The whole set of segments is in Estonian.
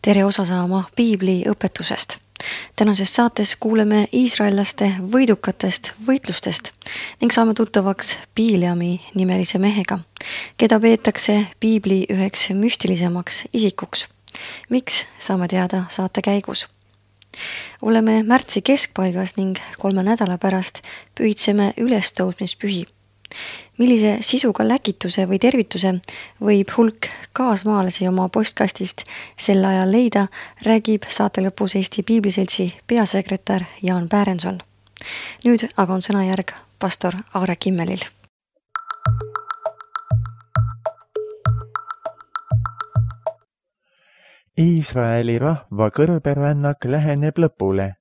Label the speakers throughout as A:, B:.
A: Tere osa saama Piibli õpetusest. Tänases saates kuuleme iisraellaste võidukatest võitlustest ning saame tuttavaks Bileami nimelise mehega, keda peetakse Piibli üheks müstilisemaks isikuks. Miks, saame teada saate käigus. Oleme märtsi keskpaigas ning 3 nädala pärast pühitseme ülestõusmispühi. Millise sisuga läkituse või tervituse võib hulk kaasmaalasi oma postkastist sel ajal leida, räägib saate lõpus Eesti Piibliseltsi peasekretär Jaan Pärenson. Nüüd aga on sõnajärg pastor Aare Kimmelil.
B: Iisraeli rahva kõrberännak läheneb lõpule.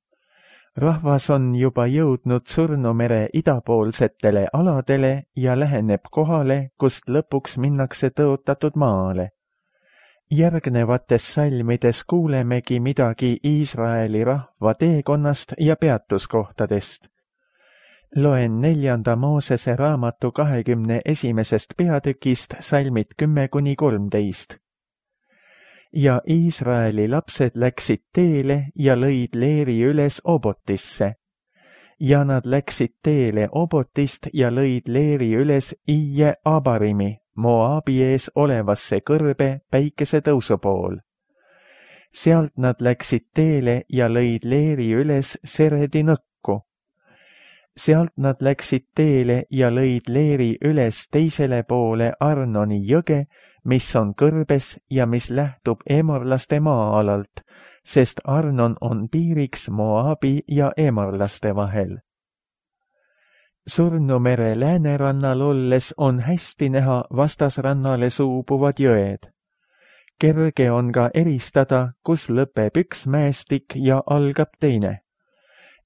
B: Rahvas on juba jõudnud Surnumere idapoolsetele aladele ja läheneb kohale, kust lõpuks minnakse tõotatud maale. Järgnevates salmides kuulemegi midagi Iisraeli rahva teekonnast ja peatuskohtadest. Loen 4. Moosese raamatu 21. peatükist salmid 10-13. Ja Iisraeli lapsed läksid teele ja lõid leeri üles Obotisse. Ja nad läksid teele Obotist ja lõid leeri üles Ije Abarimi, Moabi ees olevasse kõrbe päikese tõusu pool. Sealt nad läksid teele ja lõid leeri üles Seredi nõkku. Sealt nad läksid teele ja lõid leeri üles teisele poole Arnoni jõge, mis on kõrbes ja mis lähtub emorlaste maa-alalt, sest Arnon on piiriks Moabi ja emorlaste vahel. Surnumere läänerannal olles on hästi näha vastasrannale suubuvad jõed. Kerge on ka eristada, kus lõpeb üks mäestik ja algab teine.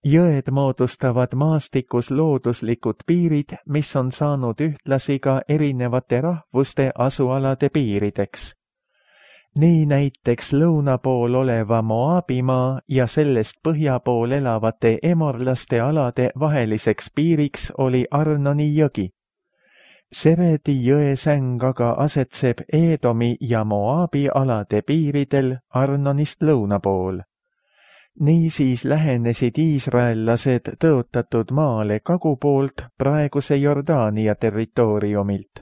B: Jõed moodustavad maastikus looduslikud piirid, mis on saanud ühtlasi ka erinevate rahvuste asualade piirideks. Nii näiteks lõuna pool oleva Moabimaa ja sellest põhja pool elavate emorlaste alade vaheliseks piiriks oli Arnoni jõgi. Seredi jõesäng aga asetseb Eedomi ja Moabi alade piiridel Arnonist lõuna pool. Niisiis lähenesid iisraellased tõotatud maale kagupoolt praeguse Jordaania territooriumilt.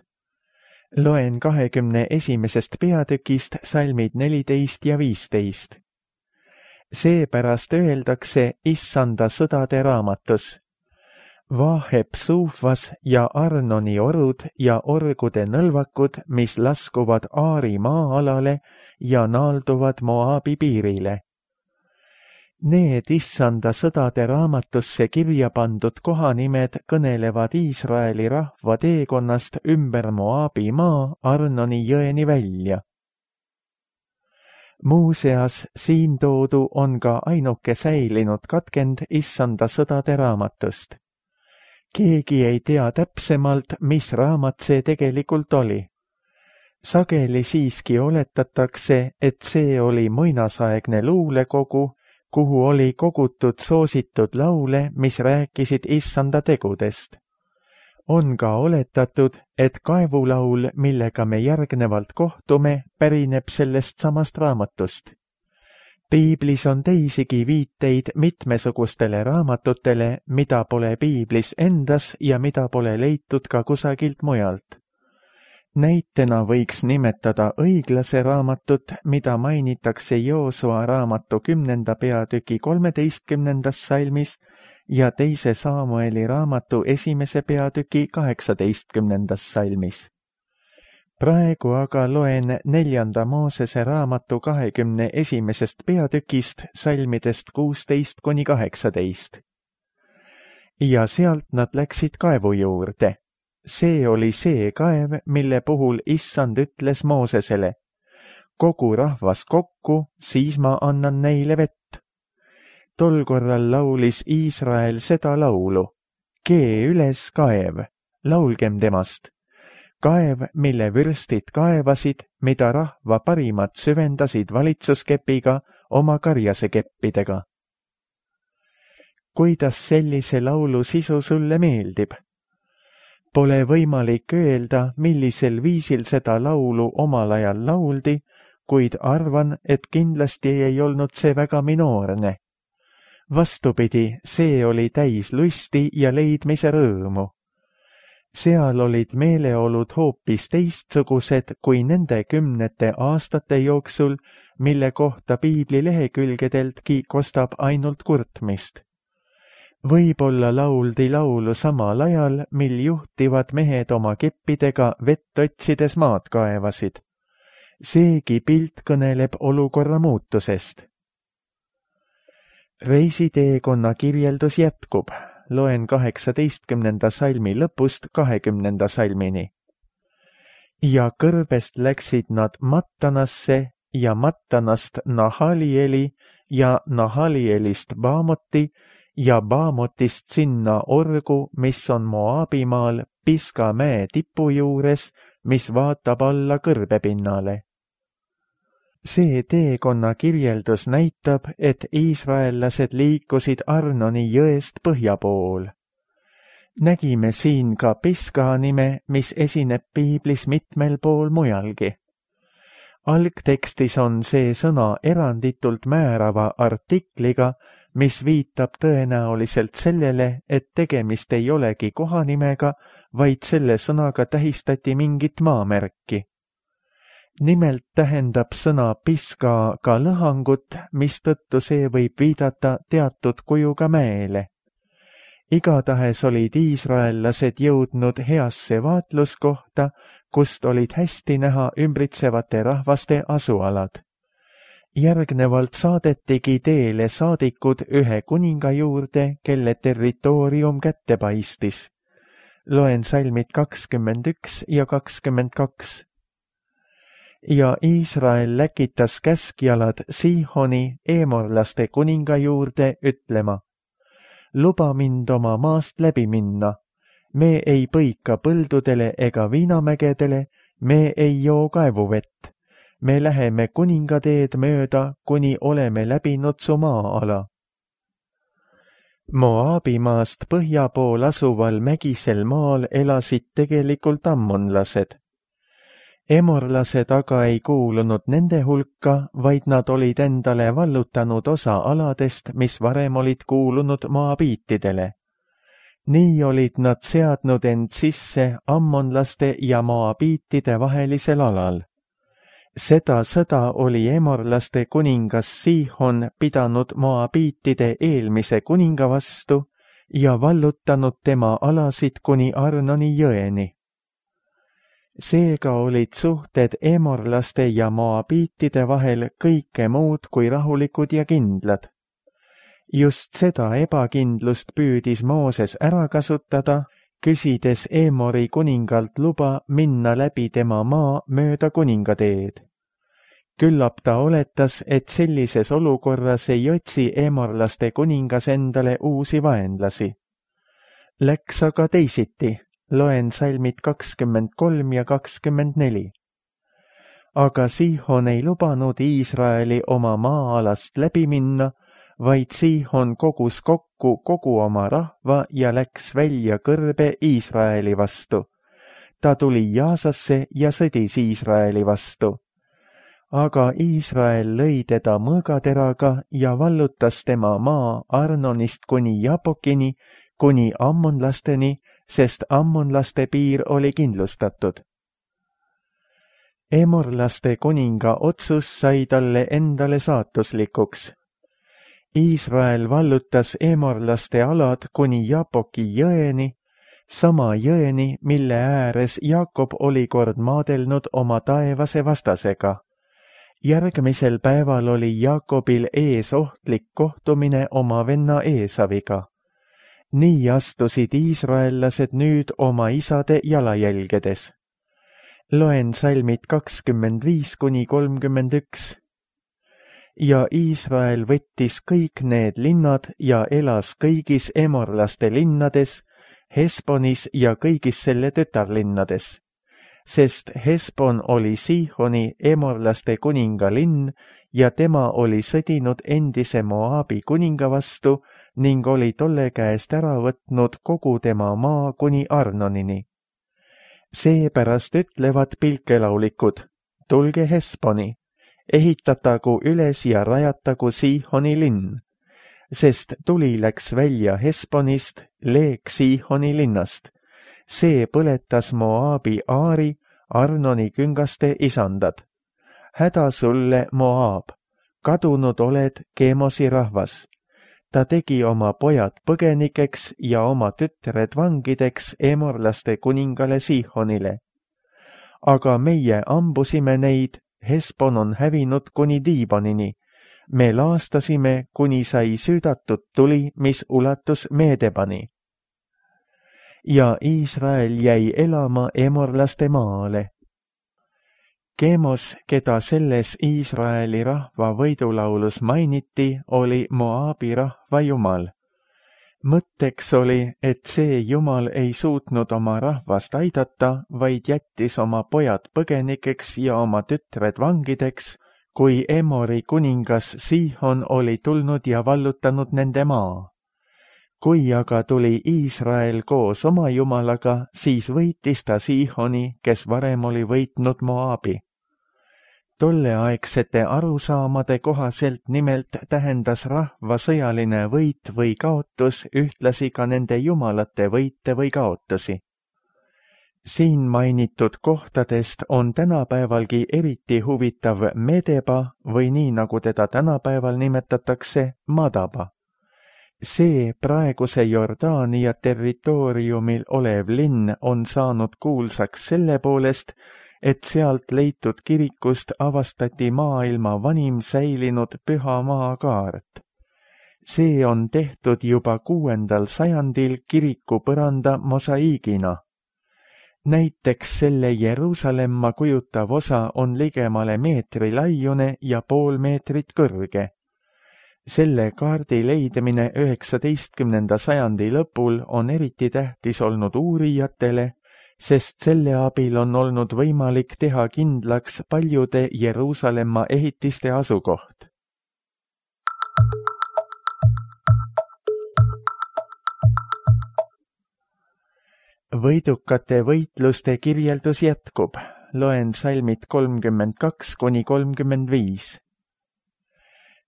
B: Loen 21. peatükist salmid 14 ja 15. Seepärast öeldakse Issanda sõdade raamatus. Vaaheb Suufas ja Arnoni orud ja orgude nõlvakud, mis laskuvad Aari maa-alale ja naalduvad Moabi piirile. Need Issanda sõdade raamatusse kirja pandud kohanimed kõnelevad Iisraeli rahva teekonnast ümber Moabi maa Arnoni jõeni välja. Muuseas, siin toodu on ka ainuke säilinud katkend Issanda sõdade raamatust. Keegi ei tea täpsemalt, mis raamat see tegelikult oli. Sageli siiski oletatakse, et see oli muinasaegne luulekogu, kuhu oli kogutud soositud laule, mis rääkisid Issanda tegudest. On ka oletatud, et kaevulaul, millega me järgnevalt kohtume, pärineb sellest samast raamatust. Piiblis on teisigi viiteid mitmesugustele raamatutele, mida pole Piiblis endas ja mida pole leitud ka kusagilt mujalt. Näitena võiks nimetada õiglase raamatut, mida mainitakse Joosua raamatu 10. peatüki 13. salmis ja 2. Samueli raamatu 1. peatüki 18. salmis. Praegu aga loen 4. Moosese raamatu 21. peatükist salmidest 16-18. Ja sealt nad läksid kaevu juurde. See oli see kaev, mille puhul Issand ütles Moosesele, kogu rahvas kokku, siis ma annan neile vett. Tol korral laulis Iisrael seda laulu, kee üles kaev, laulgem temast. Kaev, mille vürstid kaevasid, mida rahva parimad süvendasid valitsuskepiga oma karjasekeppidega. Kuidas sellise laulu sisu sulle meeldib? Pole võimalik öelda, millisel viisil seda laulu omal ajal lauldi, kuid arvan, et kindlasti ei olnud see väga minoorne. Vastupidi, see oli täis lusti ja leidmise rõõmu. Seal olid meeleolud hoopis teistsugused kui nende 10 aastate jooksul, mille kohta piibli lehekülgedeltki kostab ainult kurtmist. Võib-olla lauldi laulu samal ajal, mil juhtivad mehed oma keppidega vett otsides maad kaevasid. Seegi pilt kõneleb olukorra muutusest. Reisiteekonna kirjeldus jätkub. Loen 18. salmi lõpust 20. salmini. Ja kõrbest läksid nad Mattanasse ja Mattanast Nahalieli ja Nahalielist Baamoti ja Baamotist sinna Orgu, mis on Moabimaal Piska mäe tipu juures, mis vaatab alla kõrbepinnale. See teekonna kirjeldus näitab, et iisraellased liikusid Arnoni jõest põhja pool. Nägime siin ka Piska nime, mis esineb piiblis mitmel pool mujalgi. Algtekstis on see sõna eranditult määrava artikliga, mis viitab tõenäoliselt sellele, et tegemist ei olegi kohanimega, vaid selle sõnaga tähistati mingit maamärki. Nimelt tähendab sõna Piska ka lõhangut, mistõttu see võib viidata teatud kujuga mäele. Igatahes olid iisraellased jõudnud heasse vaatluskohta, kust olid hästi näha ümbritsevate rahvaste asualad. Järgnevalt saadetigi teele saadikud ühe kuninga juurde, kelle territoorium kätte paistis. Loen salmid 21 ja 22. Ja Iisrael läkitas käskjalad Siihoni eemorlaste kuninga juurde ütlema: luba mind oma maast läbi minna. Me ei põika põldudele ega viinamägedele, me ei joo kaevuvett. Me läheme kuningateed mööda, kuni oleme läbinud su maa-ala. Moabimaast põhja pool asuval mägisel maal elasid tegelikult ammonlased. Emorlased aga ei kuulunud nende hulka, vaid nad olid endale vallutanud osa aladest, mis varem olid kuulunud moabiitidele. Nii olid nad seadnud end sisse ammonlaste ja moabiitide vahelisel alal. Seda sõda oli emorlaste kuningas Siihon pidanud moabiitide eelmise kuninga vastu ja vallutanud tema alasid kuni Arnoni jõeni. Seega olid suhted emorlaste ja moabiitide vahel kõike muud kui rahulikud ja kindlad. Just seda ebakindlust püüdis Mooses ära kasutada, küsides Emori kuningalt luba minna läbi tema maa mööda kuningateed. Küllap ta oletas, et sellises olukorras ei otsi emorlaste kuningas endale uusi vaenlasi. Läks aga teisiti. Loen salmid 23 ja 24. Aga Siihon ei lubanud Iisraeli oma maa-alast läbi minna, vaid Siihon kogus kokku kogu oma rahva ja läks välja kõrbe Iisraeli vastu. Ta tuli Jaasasse ja sõdis Iisraeli vastu. Aga Iisrael lõi teda mõõgateraga ja vallutas tema maa Arnonist kuni Jabokini, kuni ammonlasteni, sest ammonlaste piir oli kindlustatud. Emorlaste kuninga otsus sai talle endale saatuslikuks. Iisrael vallutas emorlaste alad kuni Jaboki jõeni, sama jõeni, mille ääres Jaakob oli kord maadelnud oma taevase vastasega. Järgmisel päeval oli Jaakobil ees ohtlik kohtumine oma venna Eesaviga. Nii astusid iisraellased nüüd oma isade jalajälgedes. Loen salmid 25 kuni 31. Ja Iisrael võttis kõik need linnad ja elas kõigis emorlaste linnades, Hesbonis ja kõigis selle tütarlinnades. Sest Hesbon oli Siihoni emorlaste kuninga linn ja tema oli sõdinud endise Moabi kuninga vastu ning oli tolle käest ära võtnud kogu tema maa kuni Arnonini. Seepärast ütlevad pilkelaulikud: tulge Hesboni, ehitatagu üles ja rajatagu Siihoni linn, sest tuli läks välja Hesponist, leek Siihoni linnast. See põletas Moaabi Aari, Arnoni küngaste isandad. Häda sulle, Moaab, kadunud oled Kemosi rahvas. Ta tegi oma pojad põgenikeks ja oma tütred vangideks emorlaste kuningale Siihonile. Aga meie ambusime neid, Hesbon on hävinud kuni Diibonini. Me laastasime, kuni sai süüdatud tuli, mis ulatus Meedebani. Ja Iisrael jäi elama emorlaste maale. Kemos, keda selles Iisraeli rahva võidulaulus mainiti, oli Moaabi rahva jumal. Mõtteks oli, et see jumal ei suutnud oma rahvast aidata, vaid jättis oma pojad põgenikeks ja oma tütred vangideks, kui Emori kuningas Siihon oli tulnud ja vallutanud nende maa. Kui aga tuli Iisrael koos oma jumalaga, siis võitis ta Siihoni, kes varem oli võitnud Moaabi. Tolleaegsete arusaamade kohaselt nimelt tähendas rahva sõjaline võit või kaotus ühtlasi ka nende jumalate võite või kaotusi. Siin mainitud kohtadest on tänapäevalgi eriti huvitav Medeba või nii nagu teda tänapäeval nimetatakse Madaba. See praeguse Jordaania territooriumil olev linn on saanud kuulsaks selle poolest, et sealt leitud kirikust avastati maailma vanim säilinud püha maakaart. See on tehtud juba 6. sajandil kiriku põranda mosaiigina. Näiteks selle Jeruusalemma kujutav osa on ligemale meetri laiune ja pool meetrit kõrge. Selle kaardi leidmine 19. sajandi lõpul on eriti tähtis olnud uurijatele, sest selle abil on olnud võimalik teha kindlaks paljude Jeruusalemma ehitiste asukoht. Võidukate võitluste kirjeldus jätkub. Loen salmid 32–35.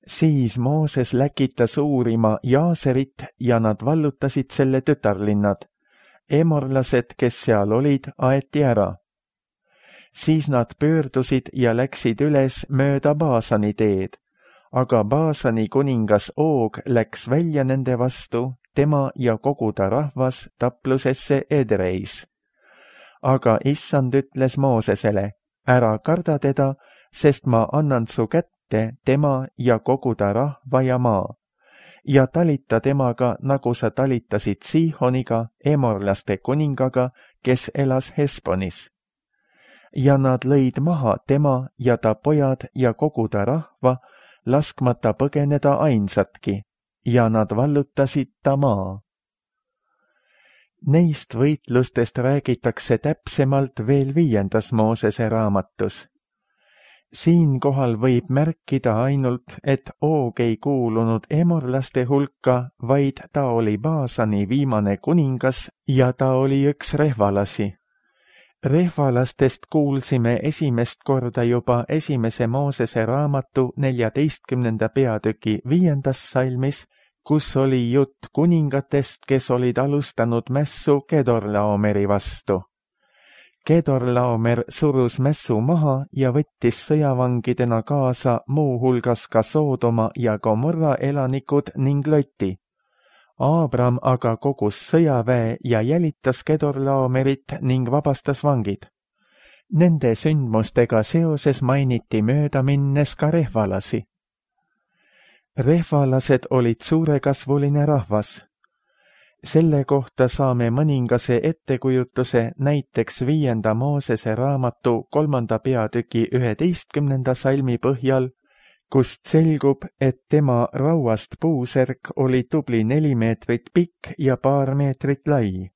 B: Siis Mooses läkitas uurima Jaaserit ja nad vallutasid selle tütarlinnad. Emorlased, kes seal olid, aeti ära. Siis nad pöördusid ja läksid üles mööda Baasani teed, aga Baasani kuningas Oog läks välja nende vastu, tema ja kogu ta rahvas taplusesse Edreis. Aga issand ütles Moosesele, ära karda teda, sest ma annan su kätte tema ja kogu ta rahva ja maa. Ja talita temaga, nagu sa talitasid Siihoniga, emorlaste kuningaga, kes elas Hesbonis. Ja nad lõid maha tema ja ta pojad ja kogu ta rahva, laskmata põgeneda ainsatki, ja nad vallutasid ta maa. Neist võitlustest räägitakse täpsemalt veel 5. Moosese raamatus. Siinkohal võib märkida ainult, et Oog ei kuulunud emorlaste hulka, vaid ta oli Baasani viimane kuningas ja ta oli üks rehvalasi. Rehvalastest kuulsime esimest korda juba 1. Moosese raamatu 14. peatüki 5. salmis, kus oli jutt kuningatest, kes olid alustanud mässu Kedorlaomeri vastu. Kedorlaomer surus mässu maha ja võttis sõjavangidena kaasa muu hulgas ka Soodoma ja Gomorra elanikud ning Loti. Aabram aga kogus sõjaväe ja jälitas Kedorlaomerit ning vabastas vangid. Nende sündmustega seoses mainiti mööda minnes ka rehvalasi. Rehvalased olid suurekasvuline rahvas. Selle kohta saame mõningase ettekujutuse näiteks 5. Moosese raamatu 3. peatüki 11. salmi põhjal, kust selgub, et tema rauast puusärk oli tubli 4 meetrit pikk ja paar meetrit lai.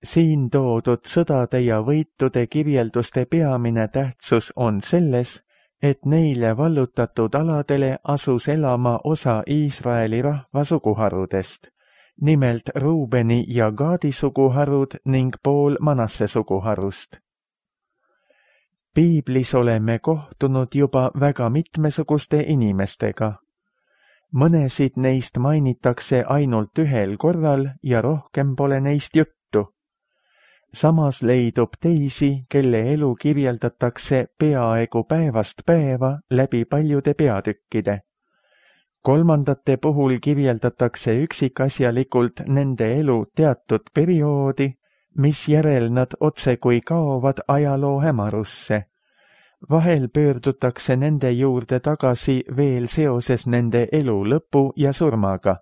B: Siin toodud sõdade ja võitude kirjelduste peamine tähtsus on selles, et neile vallutatud aladele asus elama osa Iisraeli rahva suguharudest, nimelt Ruubeni ja Gaadi suguharud ning pool Manasse suguharust. Piiblis oleme kohtunud juba väga mitmesuguste inimestega. Mõnesid neist mainitakse ainult ühel korral ja rohkem pole neist juttu. Samas leidub teisi, kelle elu kirjeldatakse peaaegu päevast päeva läbi paljude peatükkide. Kolmandate puhul kirjeldatakse üksikasjalikult nende elu teatud perioodi, misjärel nad otsekui kaovad ajaloo hämarusse. Vahel pöördutakse nende juurde tagasi veel seoses nende elu lõpu ja surmaga.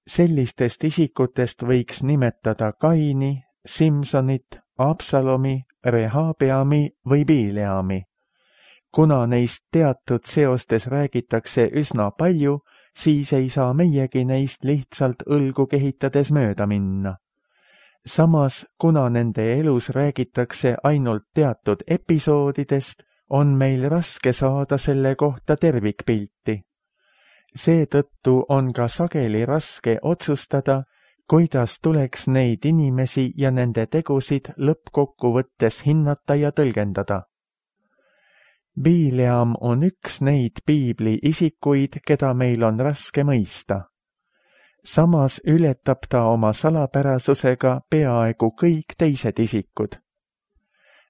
B: Sellistest isikutest võiks nimetada Kaini, Simsonit, Absalomi, Rehabeami või Bileami. Kuna neist teatud seostes räägitakse üsna palju, siis ei saa meiegi neist lihtsalt õlgu kehitades mööda minna. Samas, kuna nende elus räägitakse ainult teatud episoodidest, on meil raske saada selle kohta tervikpilti. Seetõttu on ka sageli raske otsustada, kuidas tuleks neid inimesi ja nende tegusid lõppkokkuvõttes hinnata ja tõlgendada. Bileam on üks neid piibli isikuid, keda meil on raske mõista. Samas ületab ta oma salapärasusega peaaegu kõik teised isikud.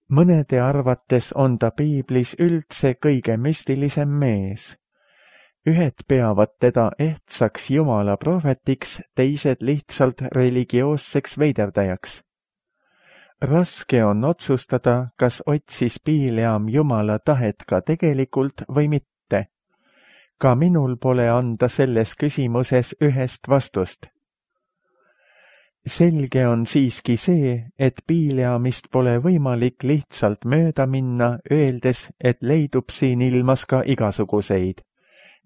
B: Mõnede arvates on ta piiblis üldse kõige müstilisem mees. Ühed peavad teda ehtsaks Jumala prohvetiks, teised lihtsalt religioosseks veiderdajaks. Raske on otsustada, kas otsis Bileam Jumala tahet ka tegelikult või mitte. Ka minul pole anda selles küsimuses ühest vastust. Selge on siiski see, et Bileamist pole võimalik lihtsalt mööda minna, öeldes, et leidub siin ilmas ka igasuguseid,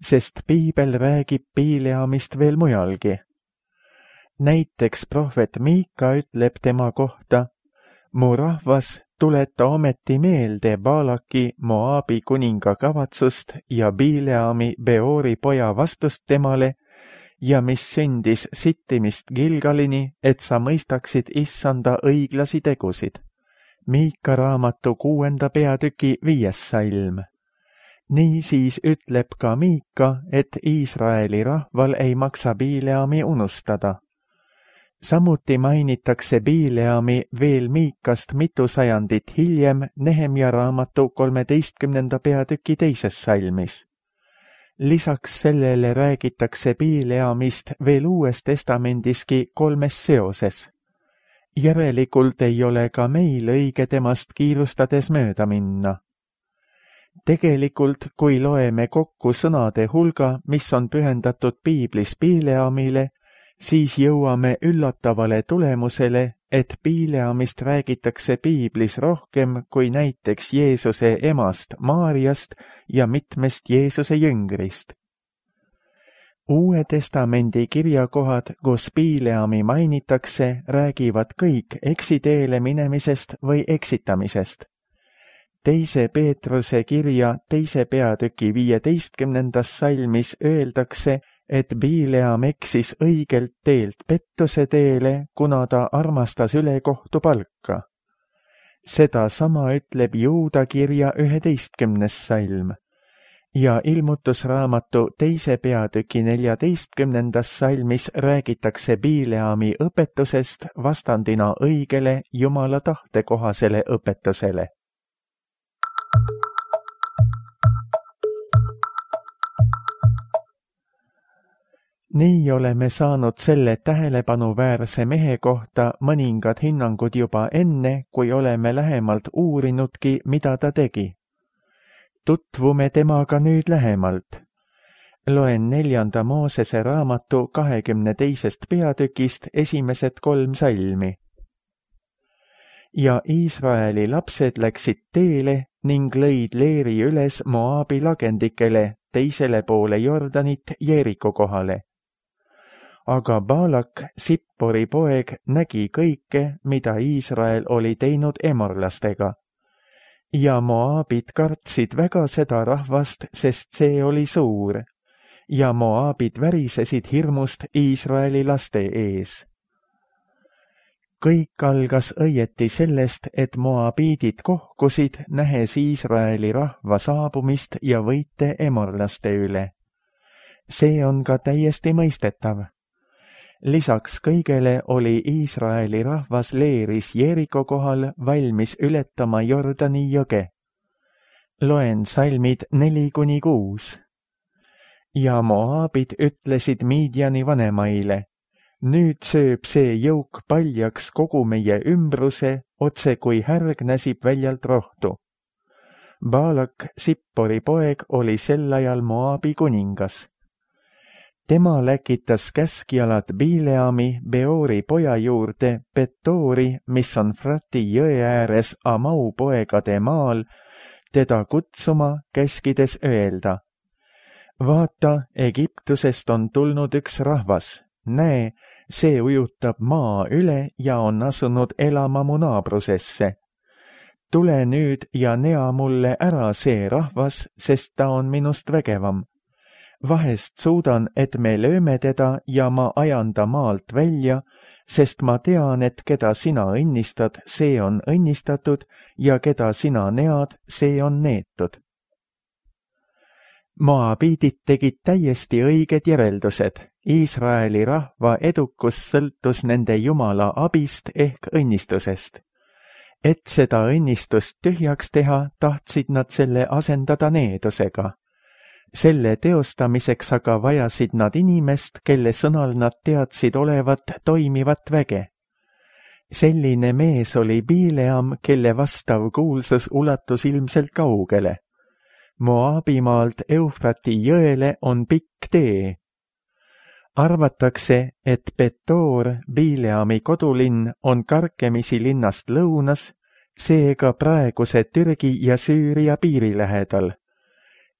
B: sest piibel räägib Bileamist veel mujalgi. Näiteks prohvet Miika ütleb tema kohta: mu rahvas, tuleta ometi meelde Baalaki, Moaabi kuninga kavatsust ja Bileami, Beori poja vastust temale ja mis sündis sittimist Gilgalini, et sa mõistaksid issanda õiglasi tegusid. Miika raamatu 6. peatüki 5. salm. Niisiis ütleb ka Miika, et Iisraeli rahval ei maksa Bileami unustada. Samuti mainitakse Bileami veel Miikast mitu sajandit hiljem Nehemja raamatu 13. peatüki 2. salmis. Lisaks sellele räägitakse Bileamist veel Uues Testamendiski 3 seoses. Järelikult ei ole ka meil õige temast kiirustades mööda minna. Tegelikult, kui loeme kokku sõnade hulga, mis on pühendatud piiblis Bileamile, siis jõuame üllatavale tulemusele, et Bileamist räägitakse piiblis rohkem kui näiteks Jeesuse emast Maariast ja mitmest Jeesuse jüngrist. Uue Testamendi kirjakohad, kus Bileami mainitakse, räägivad kõik eksiteele minemisest või eksitamisest. 2. Peetruse kirja 2. peatüki 15. salmis öeldakse, et Bileam eksis õigelt teelt pettuse teele, kuna ta armastas ülekohtu palka. Seda sama ütleb Juuda kirja 11. salm. Ja Ilmutusraamatu 2. peatüki 14. salmis räägitakse Bileami õpetusest vastandina õigele Jumala tahtekohasele õpetusele. Nii oleme saanud selle tähelepanuväärse mehe kohta mõningad hinnangud juba enne, kui oleme lähemalt uurinudki, mida ta tegi. Tutvume temaga nüüd lähemalt. Loen 4. Moosese raamatu 22. peatükist esimesed 3 salmi. Ja Iisraeli lapsed läksid teele ning lõid leeri üles Moaabi lagendikele, teisele poole Jordanit Jeeriko kohale. Aga Baalak, Sippori poeg, nägi kõike, mida Iisrael oli teinud emorlastega. Ja Moaabid kartsid väga seda rahvast, sest see oli suur. Ja Moaabid värisesid hirmust Iisraeli laste ees. Kõik algas õieti sellest, et moabiidid kohkusid, nähes Iisraeli rahva saabumist ja võite emorlaste üle. See on ka täiesti mõistetav. Lisaks kõigele oli Iisraeli rahvas leeris Jeeriko kohal valmis ületama Jordani jõge. Loen salmid 4-6. Ja moaabid ütlesid Midiani vanemaile, nüüd sööb see jõuk paljaks kogu meie ümbruse, otse kui härg näsib väljalt rohtu. Baalak, Sippori poeg, oli sel ajal Moabi kuningas. Tema läkitas käskjalad Bileami, Beori poja juurde, Petoori, mis on Frati jõe ääres Amau poegade maal, teda kutsuma, käskides öelda. Vaata, Egiptusest on tulnud üks rahvas. Näe, see ujutab maa üle ja on asunud elama mu naabrusesse. Tule nüüd ja nea mulle ära see rahvas, sest ta on minust vägevam. Vahest suudan, et me lööme teda ja ma ajan ta maalt välja, sest ma tean, et keda sina õnnistad, see on õnnistatud ja keda sina nead, see on neetud. Moabiidid tegid täiesti õiged järeldused. Iisraeli rahva edukus sõltus nende Jumala abist ehk õnnistusest. Et seda õnnistust tühjaks teha, tahtsid nad selle asendada needusega. Selle teostamiseks aga vajasid nad inimest, kelle sõnal nad teadsid olevat toimivat väge. Selline mees oli Bileam, kelle vastav kuulsus ulatus ilmselt kaugele. Moabimaalt Eufrati jõele on pikk tee. Arvatakse, et Petoor, Bileami kodulinn, on karkemisi linnast lõunas, seega praeguse Türgi ja Süüria piiri lähedal.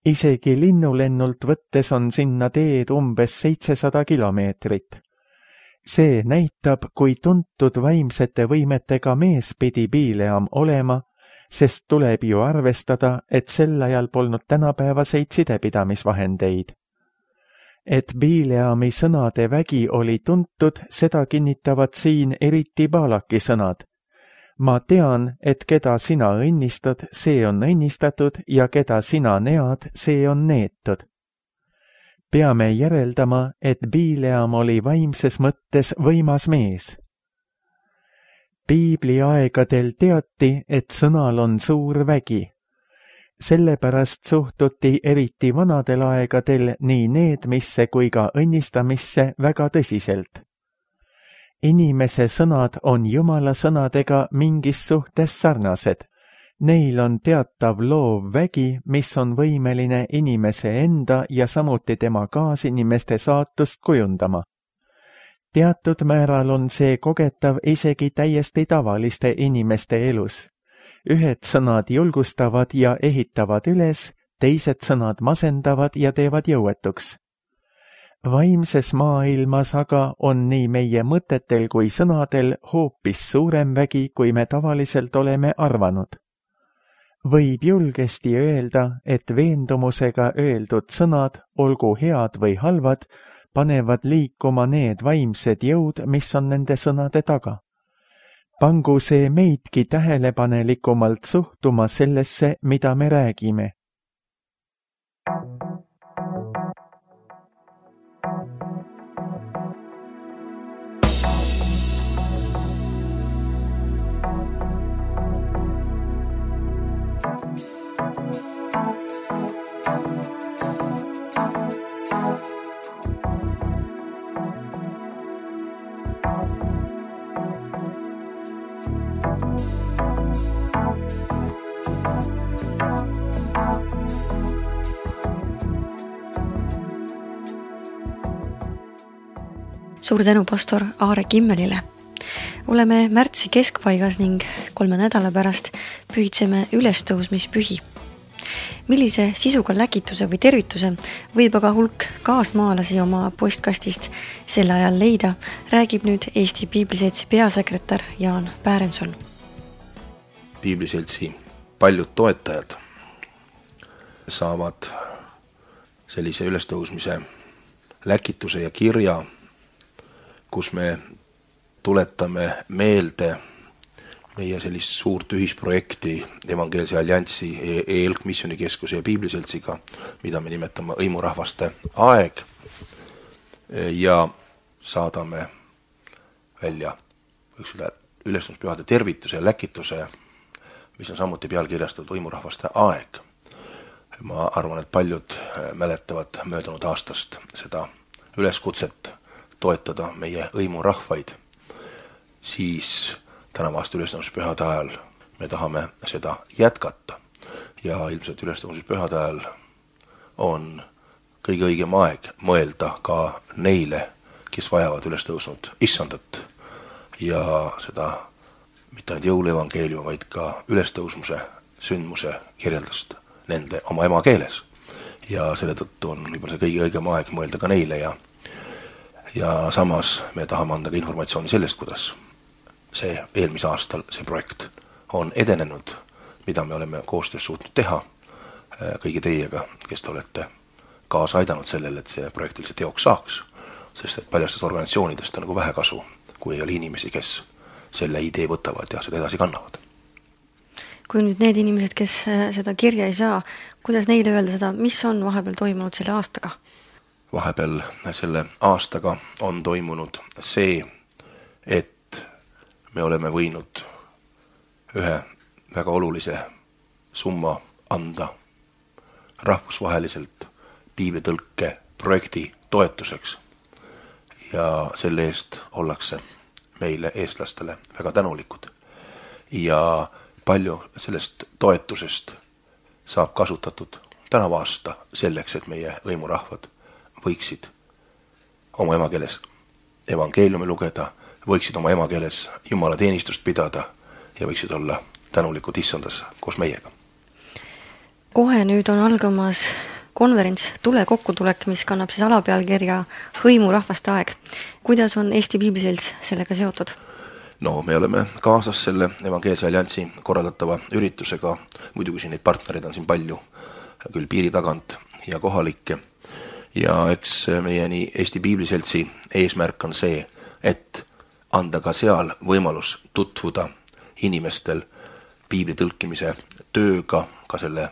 B: Isegi linnulennult võttes on sinna teed umbes 700 kilomeetrit. See näitab, kui tuntud vaimsete võimetega mees pidi Bileam olema, sest tuleb ju arvestada, et sel ajal polnud tänapäevaseid sidepidamisvahendeid. Et Bileami sõnade vägi oli tuntud, seda kinnitavad siin eriti Baalaki sõnad. Ma tean, et keda sina õnnistad, see on õnnistatud ja keda sina nead, see on neetud. Peame järeldama, et Bileam oli vaimses mõttes võimas mees. Piibli aegadel teati, et sõnal on suur vägi. Sellepärast suhtuti eriti vanadel aegadel nii needmisse kui ka õnnistamisse väga tõsiselt. Inimese sõnad on Jumala sõnadega mingis suhtes sarnased. Neil on teatav loov vägi, mis on võimeline inimese enda ja samuti tema kaasinimeste saatust kujundama. Teatud määral on see kogetav isegi täiesti tavaliste inimeste elus. Ühed sõnad julgustavad ja ehitavad üles, teised sõnad masendavad ja teevad jõuetuks. Vaimses maailmas aga on nii meie mõtetel kui sõnadel hoopis suurem vägi, kui me tavaliselt oleme arvanud. Võib julgesti öelda, et veendumusega öeldud sõnad, olgu head või halvad, panevad liikuma need vaimsed jõud, mis on nende sõnade taga. Pangu see meidki tähelepanelikumalt suhtuma sellesse, mida me räägime.
A: Suur tänu pastor Aare Kimmelile. Oleme märtsi keskpaigas ning 3 nädala pärast pühitseme ülestõusmispühi. Millise sisuga läkituse või tervituse võib aga hulk kaasmaalasi oma postkastist sel ajal leida, räägib nüüd Eesti Piibliseltsi peasekretär Jaan Pärenson.
C: Piibliseltsi paljud toetajad saavad sellise ülestõusmise läkituse ja kirja, kus me tuletame meelde meie sellist suurt ühisprojekti Evangeelse Alliansi EELK Missioonikeskuse ja Piibliseltsiga, mida me nimetame hõimurahvaste aeg, ja saadame välja ülestõusmispühade tervituse ja läkituse, mis on samuti pealkirjastatud hõimurahvaste aeg. Ma arvan, et paljud mäletavad möödunud aastast seda üleskutset toetada meie hõimurahvaid. Siis tänava aasta ülestõusmispühade ajal me tahame seda jätkata ja ilmselt ülestõusmispühade ajal on kõige õigem aeg mõelda ka neile, kes vajavad ülestõusnud issandat ja seda mitte ainult jõuluevangeeliumi, vaid ka ülestõusmuse sündmuse kirjeldust nende oma emakeeles. Ja selle tõttu on võib-olla see kõige õigem aeg mõelda ka neile ja samas me tahame anda ka informatsiooni sellest, kuidas see eelmise aastal see projekt on edenenud, mida me oleme koostöös suutnud teha kõigi teiega, kes te olete kaasa aidanud sellele, et see projekt üldse teoks saaks, sest et paljastest organisatsioonidest on nagu vähe kasu, kui ei ole inimesi, kes selle idee võtavad ja seda edasi kannavad.
A: Kui nüüd need inimesed, kes seda kirja ei saa, kuidas neile öelda seda, mis on vahepeal toimunud selle aastaga?
C: Vahepeal selle aastaga on toimunud see, et me oleme võinud ühe väga olulise summa anda rahvusvaheliselt piiblitõlke projekti toetuseks ja selle eest ollakse meile eestlastele väga tänulikud. Ja palju sellest toetusest saab kasutatud tänava aasta selleks, et meie hõimurahvad võiksid oma emakeeles evangeeliumi lugeda, võiksid oma emakeeles Jumala teenistust pidada ja võiksid olla tänulikud issandas koos meiega.
A: Kohe nüüd on algamas konverents Tule kokkutulek, mis kannab siis alapealkirja Hõimurahvaste aeg. Kuidas on Eesti Piibliselts sellega seotud?
C: No, me oleme kaasas selle Evangeelse Alliansi korraldatava üritusega. Muidugi siin neid partnereid on siin palju, küll piiri tagant ja kohalikke. Ja eks meie nii Eesti Piibliseltsi eesmärk on see, et anda ka seal võimalus tutvuda inimestel piibli tõlkimise tööga, ka selle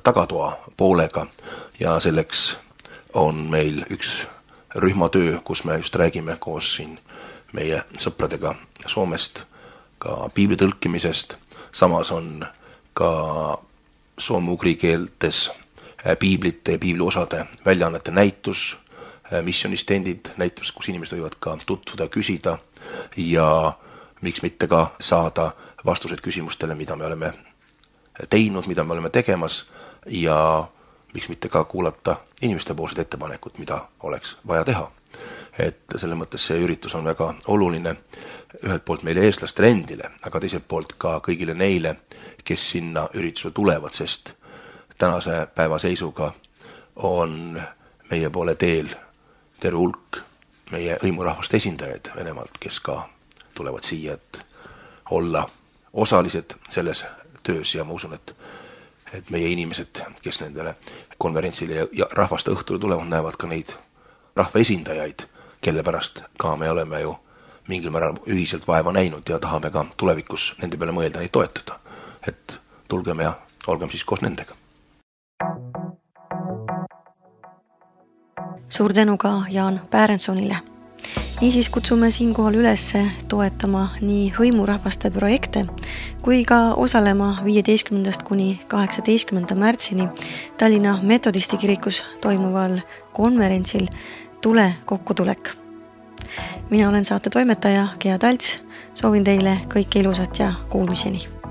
C: tagatoa poolega ja selleks on meil üks rühmatöö, kus me just räägime koos siin meie sõpradega Soomest ka piibli tõlkimisest. Samas on ka soome-ugri keeltes piiblite ja piibliosade väljaannete näitus, missionistendid näitus, kus inimesed võivad ka tutvuda, küsida ja miks mitte ka saada vastused küsimustele, mida me oleme teinud, mida me oleme tegemas ja miks mitte ka kuulata inimeste poolsed ettepanekud, mida oleks vaja teha. Et selle mõttes see üritus on väga oluline ühelt poolt meile eestlastele endile, aga teiselt poolt ka kõigile neile, kes sinna üritusele tulevad, sest tänase päeva seisuga on meie poole teel terve hulk meie hõimurahvaste esindajaid Venemaalt, kes ka tulevad siia, et olla osalised selles töös ja ma usun, et meie inimesed, kes nendele konverentsile ja rahvaste õhtule tulevad, näevad ka neid rahva esindajaid, kelle pärast ka me oleme ju mingil määral ühiselt vaeva näinud ja tahame ka tulevikus nende peale mõelda, neid toetada. Et tulgem ja olgem siis koos nendega.
A: Suur tänu ka Jaan Päärensonile. Niisiis kutsume siinkohal üles toetama nii hõimurahvaste projekte kui ka osalema 15. kuni 18. märtsini Tallinna Metodisti kirikus toimuval konverentsil Tule kokkutulek. Mina olen saate toimetaja Gea Talts, soovin teile kõike ilusat ja kuulmiseni.